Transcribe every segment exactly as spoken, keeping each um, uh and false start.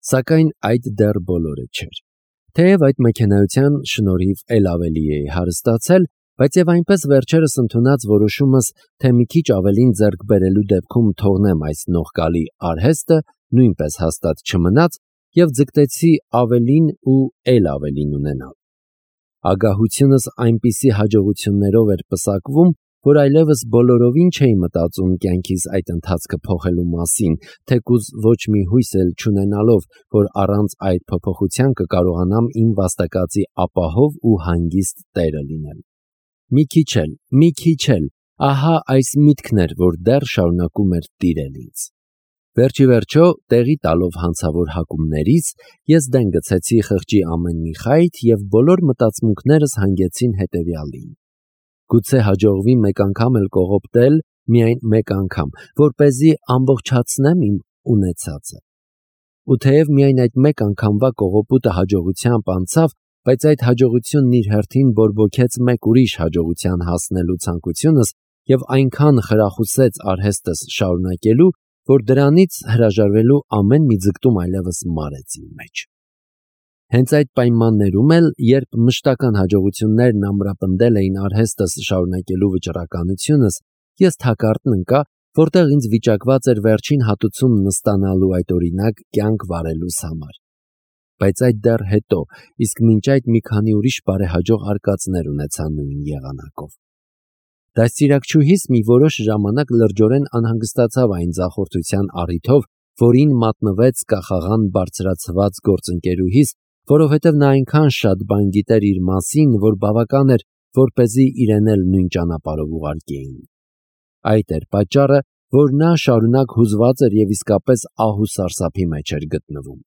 Սակայն այդ դեռ բոլորը չէր։ Թեև այդ մեքենայության շնորհիվ էլ ավելի էի հարստացել, բայց եւ այնպես վերջերս ընդունած որոշումս, թե մի քիչ ավելին ձեռք բերելու դեպքում թողնեմ այս նողկալի արհեստը, նույնպես հաստատ չմնաց եւ ձգտեցի ավելին ու էլ ավելին ունենալ։ Ագահությունս այնպիսի հաջողություններով էր պսակվում, որ այլևս բոլորովին չէի մտածում կյանքիս այդ ընթացքը փոխելու մասին, թեկուզ ոչ մի հույս էլ չունենալով, որ առանց այդ փոփոխության կկարողանամ իմ վաստակածի ապահով ու հանգիստ տերը լինել։ Մի քիչ էլ, մի քիչ էլ, ահա այս միտքն էր, որ դեռ շարունակում էր տիրել ինձ։ Վերջի վերջո, տեղի տալով հանցավոր հակումներիս, ես դեն գցեցի խղճի ամեն մի խայթ և բոլոր մտածմունքներս հանգեցին հետևյալին. գուցե հաջողվի մեկ անգամ էլ կողոպտել, միայն մեկ անգամ, որպեսզի ամբողջացնեմ իմ ունեցածը։ Ու թեև միայն այդ մեկ անգամվա կողոպուտը հաջողությամբ անցավ, բայց այդ հաջողությունն իր հերթին բորբոքեց մեկ ուրիշ հաջողության հասնելու ցանկությունս և այնքան խրախուսեց արհեստս շարունակելու, որ դրանից հրաժարվելու ամեն մի ձգտում այլևս մարեց իմ մեջ։ Հենց այդ պայմաններում էլ, երբ մշտական հաջողություններն ամրապնդել էին արհեստս շարունակելու վճռականությունս, ես թակարդն ընկա, որտեղ ինձ վիճակված էր վերջին հատուցումն ստանալու այդ օրինակ կյանք վարելուս համար։ Բայց այդ դեռ հետո, իսկ մինչ այդ մի քանի ուրիշ բարեհաջող արկածներ ունեցա նույն եղանակով։ Դաստիարակչուհիս մի որոշ ժամանակ լրջորեն անհանգստացավ այն ձախորդության առիթով, որին մատնվեց կախաղան բարձրացված գործընկերուհիս, որովհետև նա այնքան շատ բան գիտեր իր մասին, որ բավական էր, որպեսզի իրեն էլ նույն ճանապարհով ուղարկեին։ Այդ էր պատճառը, որ նա շարունակ հուզված էր և իսկապես ահ ու սարսափի մեջ էր գտնվում։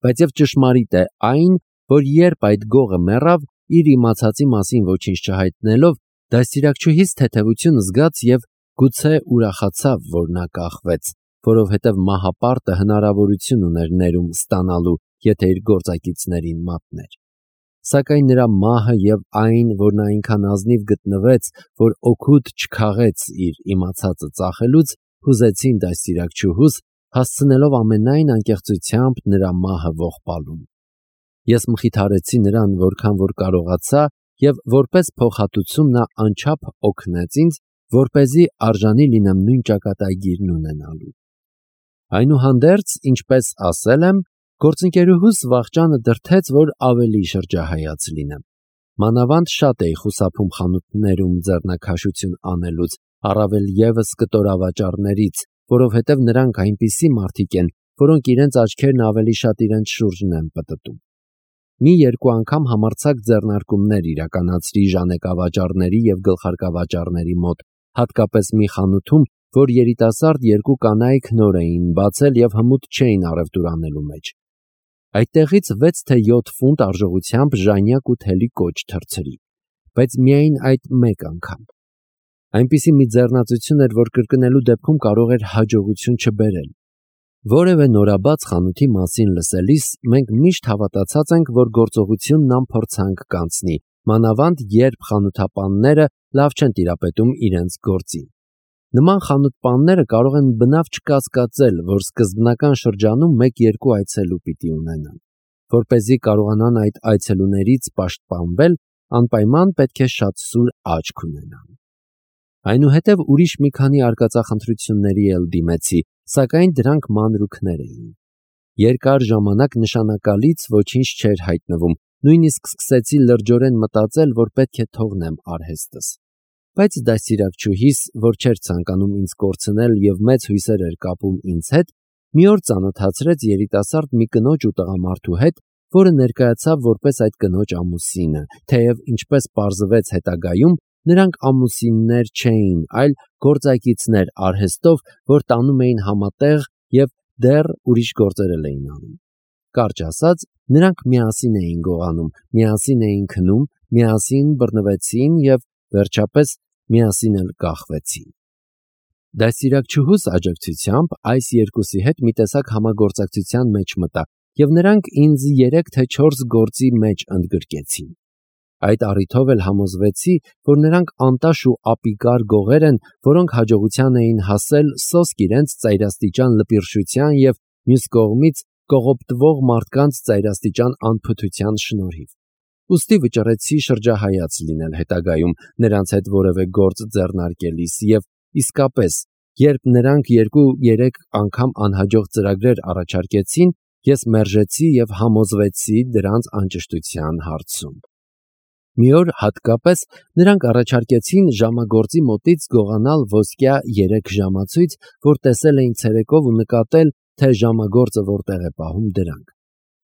Բայց և ճշմարիտ է այն, որ երբ այդ գողը մեռավ, իր իմացածի մասին ոչինչ չհայտնելով, դաստիարակչուհիս թեթևություն զգաց և գուցե ուրախացավ, որ նա կախվեց, որովհետև մահապարտը հնարավորություն ուներ ներում ստանալու, եթե իր գործակիցներին մատներ։ Սակայն նրա մահը և այն, որ նա այնքան ազնիվ գտնվեց, որ օգուտ չքաղեց իր իմացածը ծախելուց, հուզեցին դաստիարակչուհուս, հասցնելով ամենայն անկեղծությամբ նրա մահը ողբալուն։ Ես մխիթարեցի նրան որքան որ կարողացա և որպես փոխհատուցում նա անչափ օգնեց ինձ, որպեսզի արժանի լինեմ նույն ճակատագիրն ունենալու։ Այնուհանդերձ, ինչպես ասել եմ, գործընկերուհուս վախճանը դրդեց, որ ավելի շրջահայաց լինեմ։ Մանավանդ շատ էի խուսափում խանութներում ձեռնաքաշություն անելուց, առավել ևս կտորավաճառներից, որովհետև նրանք այնպիսի մարդիկ են, որոնք իրենց աչքերն ավելի շատ իրենց շուրջն են պտտում։ Մի երկու անգամ համարձակ ձեռնարկումներ իրականացրի ժանեկավաճառների և գլխարկավաճառների մոտ, հատկապես մի խանութում, որ երիտասարդ երկու կանայք նոր էին բացել և հմուտ չէին առևտուր անելու մեջ։ Այդտեղից վեց թե յոթ ֆունտ արժողությամբ ժանյակ ու թելի կոճ թռցրի, բայց միայն այդ մեկ անգամ։ Այնպիսի մի ձեռնածություն էր, որ կրկնելու դեպքում կարող էր հաջողություն չբերել։ Որևէ նորաբաց խանութի մասին լսելիս մենք միշտ հավատացած ենք, որ գործողությունն անփորձանք կանցնի, մանավանդ երբ խանութապանները լավ չեն տիրապետում իրենց գործին։ Նման խանութպանները կարող են բնավ չկասկածել, որ սկզբնական շրջանում մեկ-երկու այցելու պիտի ունենան։ Որպեսզի կարողանան այդ այցելուներից պաշտպանվել, անպայման պետք է շատ սուր աչք ունենան։ Այնուհետև ուրիշ մի քանի արկածախնդրությունների էլ դիմեցի, սակայն դրանք մանրուքներ էին։ Երկար ժամանակ նշանակալից ոչինչ չէր հայտնվում, նույնիսկ սկսեցի լրջորեն մտածել, որ պետք է թողնեմ արհեստս։ Բայց դաստիարակչուհիս, որ չէր ցանկանում ինձ կորցնել և մեծ հույսեր էր կապում ինձ հետ, մի օր ծանոթացրեց երիտասարդ մի կնոջ ու տղամարդու հետ, որը ներկայացավ որպես այդ կնոջ ամուսինը, թեև ինչպես պարզվեց հետագայում, նրանք ամուսիններ չէին, այլ գործակիցներ արհեստով, որ տանում էին համատեղ և դեռ ուրիշ գործեր էլ էին անում։ Կարճ ասած, նրանք միասին էին գողանում, միասին էին քնում, միասին բռնվեցին և վերջապես միասին էլ կախվեցին։ Դաստիարակչուհուս աջակցությամբ այս երկուսի հետ մի տեսակ համագործակցության մեջ մտա և նրանք ինձ երեք թե չորս գործի մեջ ընդգրկեցին։ Այդ առիթով էլ համոզվեցի, որ նրանք անտաշ ու ապիկար գողեր են, որոնք հաջողության էին հասել սոսկ իրենց ծայրաստիճան լպիրշության և մյուս կողմից կողոպտվող մարդկանց ծայրաստիճան անփութության շնորհիվ։ Ուստի վճռեցի շրջահայաց լինել հետագայում նրանց հետ որևէ գործ ձեռնարկելիս և իսկապես, երբ նրանք երկու-երեք անգամ անհաջող ծրագրեր առաջարկեցին, ես մերժեցի և համոզվեցի դրանց անճշտության հարցում։ Մի օր հատկապես նրանք առաջարկեցին ժամագործի մոտից գողանալ ոսկյա երեք ժամացույց, որ տեսել էին ցերեկով ու նկատել, թե ժամագործը որտեղ է պահում դրանք։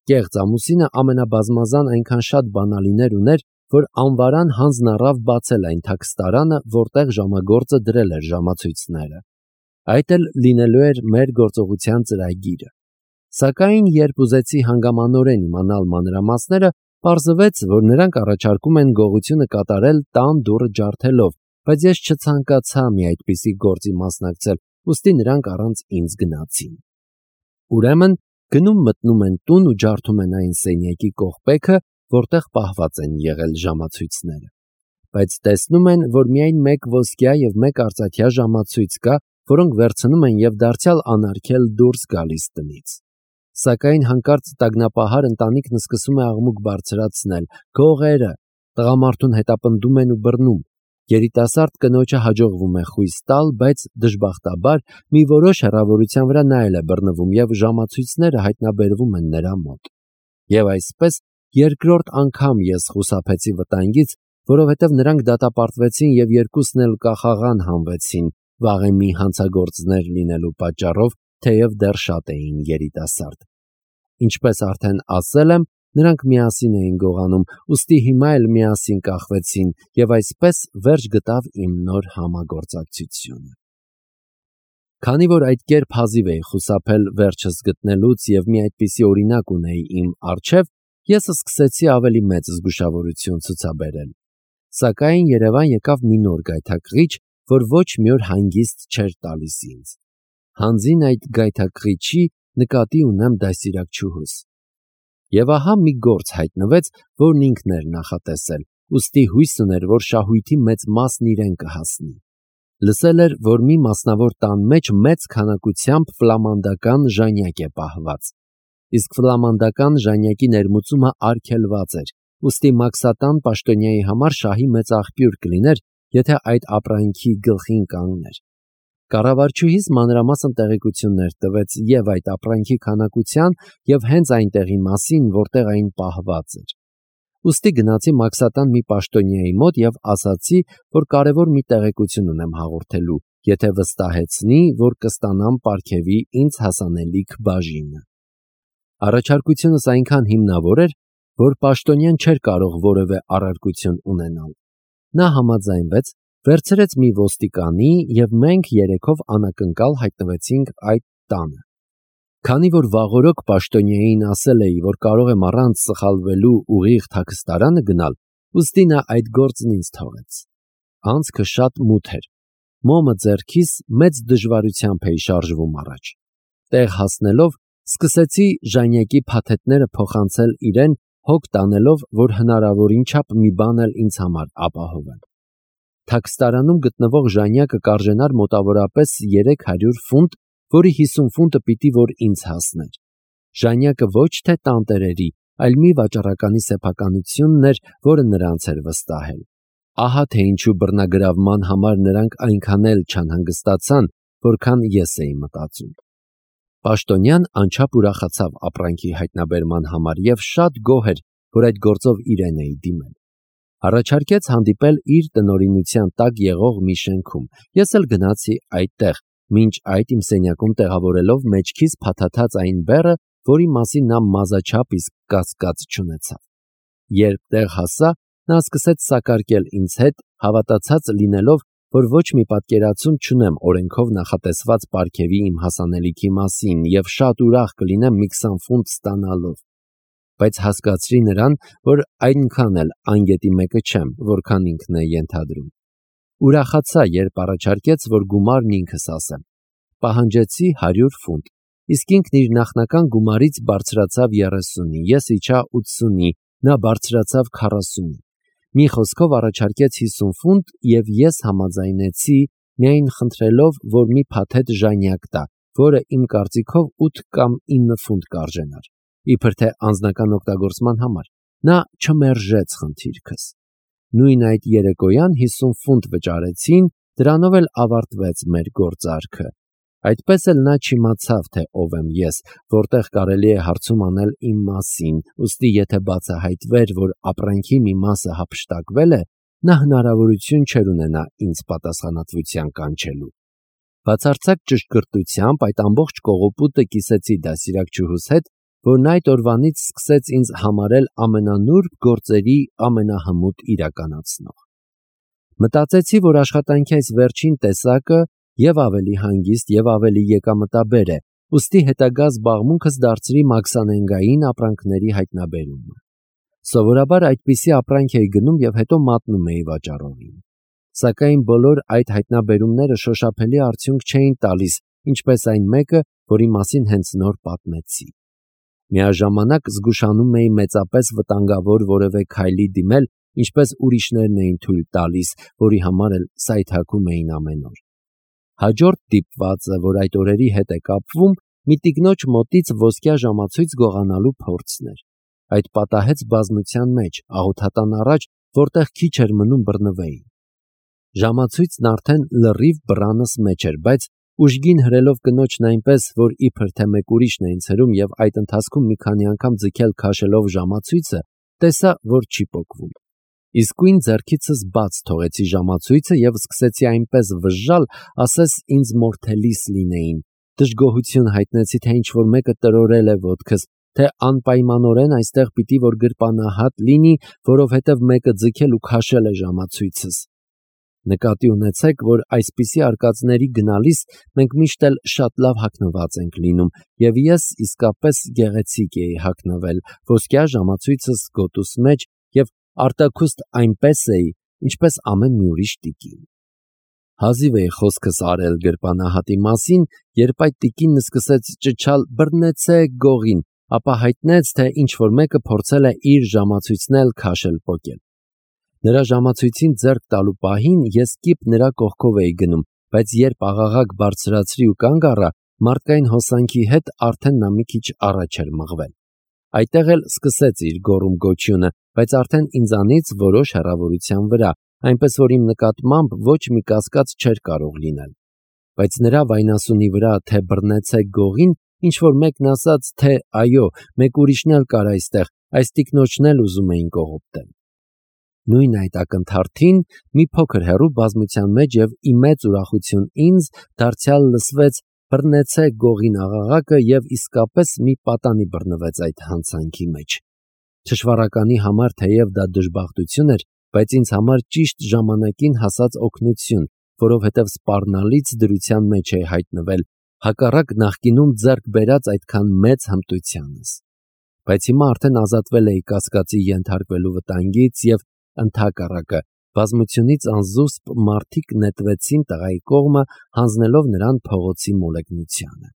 Կեղծ ամուսինը ամենաբազմազան այնքան շատ բանալիներ ուներ, որ անվարան հանձն առավ բացել այն թաքստարանը, որտեղ ժամագործը դրել էր ժամացույցները։ Այդ էլ լինելու էր մեր գործողության ծրագիրը։ Սակայն երբ ուզեցի հանգամանորեն իմանալ մանրամասները, պարզվեց, որ նրանք առաջարկում են գողությունը կատարել տան դուռը ջարդելով, բայց ես չցանկացա մի այդպիսի գործի մասնակցել, ուստի նրանք առանց ինձ գնացին։ Ուրեմն գնում մտնում են տուն ու ջարդում են այն սենյակի կողպեքը, որտեղ պահված են եղել ժամացույցները։ Բայց տեսնում են, որ միայն մեկ ոսկյա և մեկ արծաթյա ժամացույց կա, որոնք վերցնում են և դարձյալ անարգել դուրս գալիս տնից։ Սակայն հանկարծ տագնապահար ընտանիքն սկսում է աղմուկ բարձրացնել. «Գողերը!» Տղամարդուն հետապնդում են ու բռնում։ Երիտասարդ կնոջը հաջողվում է խույս տալ, բայց դժբախտաբար մի որոշ հեռավորության վրա նա էլ է բռնվում և ժամացույցները հայտնաբերվում են նրա մոտ։ Եվ այսպես երկրորդ անգամ ես խուսափեցի վտանգից, որովհետև նրանք դատապարտվեցին և երկուսն էլ կախաղան հանվեցին վաղեմի հանցագործներ լինելու պատճառով, թեև դեռ շատ էին երիտասարդ։ Ինչպես արդեն ասել եմ, նրանք միասին էին գողանում, ուստի հիմա էլ միասին կախվեցին, և այսպես վերջ գտավ իմ նոր համագործակցությունը։ Քանի որ այդ կերպ հազիվ էի խուսափել վերջս գտնելուց և մի այդպիսի օրինակ ունեի իմ առջև, ես սկսեցի ավելի մեծ զգուշավորություն ցուցաբերել։ Սակայն Երևան եկավ մի նոր գայթակղիչ, որ ոչ մի օր հանգիստ չէր տալիս ինձ։ Հանձին այդ գայթակղիչի նկատի ունեմ դաստիարակչուհուս։ Եվ ահա մի գործ հայտնվեց, որն ինքն էր նախատեսել, ուստի հույս ուներ, որ շահույթի մեծ մասն իրեն կհասնի։ Լսել էր, որ մի մասնավոր տան մեջ մեծ քանակությամբ ֆլամանդական ժանյակ է պահված։ Իսկ ֆլամանդական ժանյակի ներմուծումը արգելված էր, ուստի մաքսատան պաշտոնյայի համար շահի մեծ աղբյուր կլիներ, եթե այդ ապրանքի գլխին կանգներ։ Կառավարչուհիս մանրամասն տեղեկություններ տվեց և այդ ապրանքի քանակության, և հենց այն տեղի մասին, որտեղ այն պահված էր։ Ուստի գնացի մաքսատան մի պաշտոնյայի մոտ և ասացի, որ կարևոր մի տեղեկություն ունեմ հաղորդելու, եթե վստահեցնի, որ կստանամ պարգևի ինձ հասանելիք բաժինը։ Առաջարկությունս այնքան հիմնավոր էր, որ պաշտոնյան չէր կարող որևէ առարկություն ունենալ։ Նա համաձայնվեց, վերցրեց մի ոստիկանի և մենք երեքով անակնկալ հայտնվեցինք այդ տանը։ Քանի որ վաղօրոք պաշտոնյային ասել էի, որ կարող եմ առանց սխալվելու ուղիղ թաքստարանը գնալ, ուստի նա այդ գործն ինձ թողեց։ Անցքը շատ մութ էր։ Մոմը ձեռքիս մեծ դժվարությամբ էի շարժվում առաջ։ Տեղ հասնելով սկսեցի ժանյակի փաթեթները փոխանցել իրեն, հոգ տանելով, որ հնարավորին չափ մի բան էլ ինձ համար ապահովեմ։ Թաքստարանում գտնվող ժանյակը կարժենար մոտավորապես երեք հարյուր ֆունտ, որի հիսուն ֆունտը պիտի որ ինձ հասներ։ Ժանյակը ոչ թե տանտերերի, այլ մի վաճառականի սեփականությունն էր, որը նրանց էր վստահել։ Ահա թե ինչու բռնագրավման համար նրանք այնքան էլ չանհանգստացան, որքան ես էի մտածում։ Պաշտոնյան անչափ ուրախացավ ապրանքի հայտնաբերման համար և շատ գոհ էր, որ այդ գործով իրեն էի դիմել։ Առաջարկեց հանդիպել իր տնօրինության տակ եղող մի շենքում։ Ես էլ գնացի այդտեղ, մինչ այդ իմ սենյակում տեղավորելով մեջքիս փաթաթած այն բեռը, որի մասին նա մազաչափ իսկ կասկած չունեցավ։ Երբ տեղ հասա, նա սկսեց սակարկել ինձ հետ, հավատացած լինելով, որ ոչ մի պատկերացում չունեմ օրենքով նախատեսված պարգևի իմ հասանելիքի մասին և շատ ուրախ կլինեմ մի քսան ֆունտ ստանալով։ Բայց հասկացրի նրան, որ այնքան էլ անգետի մեկը չեմ, որքան ինքն է ենթադրում։ Ուրախացա, երբ առաջարկեց, որ գումարն ինքս ասեմ։ Պահանջեցի հարյուր ֆունտ, իսկ ինքն իր նախնական գումարից բարձրացավ երեսունի, ես իջա ութսունի, նա բարձրացավ քառասունի։ Մի խոսքով առաջարկեց հիսուն ֆունտ, և ես համաձայնեցի, միայն խնդրելով, որ մի փաթեթ ժանյակ տա, որը իմ կարծիքով ութ կամ ինը ֆունտ կարժենար, իբր թե անձնական օգտագործման համար։ Նա չմերժեց խնդիրքս։ Նույն այդ երեկոյան հիսուն ֆունտ վճարեցին, դրանով էլ ավարտվեց մեր գործարքը։ Այդպես էլ նա չիմացավ, թե ով եմ ես, որտեղ կարելի է հարցում անել իմ մասին, ուստի եթե բացահայտվեր, որ ապրանքի մի մասը հափշտակվել է, նա հնարավորություն չէր ունենա ինձ պատասխանատվության կանչելու։ Բացարձակ ճշգրտությամբ այդ ամբողջ կողոպուտը կիսեցի դասիրակչուհուս հետ, որն այդ օրվանից սկսեց ինձ համարել ամենանուրբ գործերի ամենահմուտ իրականացնող։ Մտածեցի, որ աշխատանքի այս վերջին տեսակը և ավելի հանգիստ և ավելի եկամտաբեր է, ուստի հետագա զբաղմունքս դարձրի մաքսանենգային ապրանքների հայտնաբերումը։ Սովորաբար այդպիսի ապրանք էի գնում և հետո մատնում էի վաճառողին։ Սակայն բոլոր այդ հայտնաբերումները շոշափելի արդյունք չէին տալիս, ինչպես այն մեկը, որի մասին հենց նոր պատմեցի։ Միաժամանակ զգուշանում էի մեծապես վտանգավոր որևէ քայլի դիմել, ինչպես ուրիշներն էին թույլ տալիս, որի համար էլ սայթաքում էին ամեն օր։ Հաջորդ դիպվածը, որ այդ օրերի հետ է կապվում, մի տիկնոջ մոտից ոսկյա ժամացույց գողանալու փորձն էր։ Այդ պատահեց բազմության մեջ, աղոթատան առաջ, որտեղ քիչ էր մնում բռնվեի։ Ժամացույցն արդեն լրիվ բռանս մեջ էր, բայց ուժգին հրելով կնոջն այնպես, որ իբր թե մեկ ուրիշն է ինձ հրում և այդ ընթացքում մի քանի անգամ ձգել քաշելով ժամացույցը, տեսա, որ չի պոկվում։ Իսկույն ձեռքիցս բաց թողեցի ժամացույցը և սկսեցի այնպես վժժալ, ասես ինձ մորթելիս լինեին։ Դժգոհություն հայտնեցի, թե ինչ-որ մեկը տրորել է ոտքս, թե անպայմանորեն այստեղ պիտի որ գրպանահատ լինի, որովհետև մեկը ձգել ու քաշել է ժամացույցս։ Նկատի ունեցեք, որ այսպիսի արկածների գնալիս մենք միշտ էլ շատ լավ հագնված ենք լինում, և ես իսկապես գեղեցիկ էի հագնվել, ոսկյա ժամացույցս գոտուս մեջ և արտաքուստ այնպես էի, ինչպես ամեն մի ուրիշ տիկին։ Հազիվ էի խոսքս արել գրպանահատի մասին, երբ այդ տիկինը սկսեց ճչալ «բռնեցեք գողին», ապա հայտնեց, թե ինչ-որ մեկը փորձել է իր ժամացույցն էլ քաշել-պոկել։ Նրա ժամացույցին ձեռք տալու պահին ես կիպ նրա կողքով էի գնում, բայց երբ աղաղակ բարձրացրի ու կանգ առա, մարդկային հոսանքի հետ արդեն նա մի քիչ առաջ էր մղվել։ Այդտեղ էլ սկսեց իր գոռում-գոչյունը, բայց արդեն ինձանից որոշ հեռավորության վրա, այնպես որ իմ նկատմամբ ոչ մի կասկած չէր կարող լինել։ Բայց նրա վայնասունի վրա, թե բռնեցեք գողին, ինչ-որ մեկն ասաց, թե այո, մեկ ուրիշն էլ կար այստեղ, այս տիկնոջն էլ ուզում էին կողոպտել։ Նույն այդ ակնթարթին մի փոքր հեռու բազմության մեջ և ի մեծ ուրախություն ինձ դարձյալ լսվեց «բռնեցեք գողին» աղաղակը և իսկապես մի պատանի բռնվեց այդ հանցանքի մեջ։ Թշվառականի համար թեև դա դժբախտություն էր, բայց ինձ համար ճիշտ ժամանակին հասած օգնություն, որովհետև սպառնալից դրության մեջ էի հայտնվել, հակառակ նախկինում ձեռք բերած այդքան մեծ հմտությանս։ Բայց հիմա արդեն ազատվել էի կասկածի ենթարկվելու վտանգից և ընդհակառակը բազմությունից անզուսպ մարդիկ նետվեցին տղայի կողմը, հանձնելով նրան փողոցի մոլեգնությանը։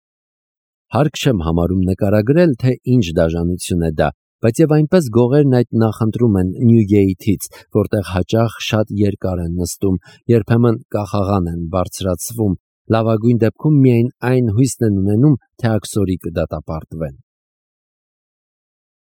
Հարկ չեմ համարում նկարագրել, թե ինչ դաժանություն է դա, բայց եւ այնպես գողերն այդ նախընտրում են Նյուգեյթից, որտեղ հաճախ շատ երկար են նստում, երբեմն կախաղան են բարձրացվում, լավագույն դեպքում միայն այն հույսն են ունենում, թե աքսորի կդատապարտվեն։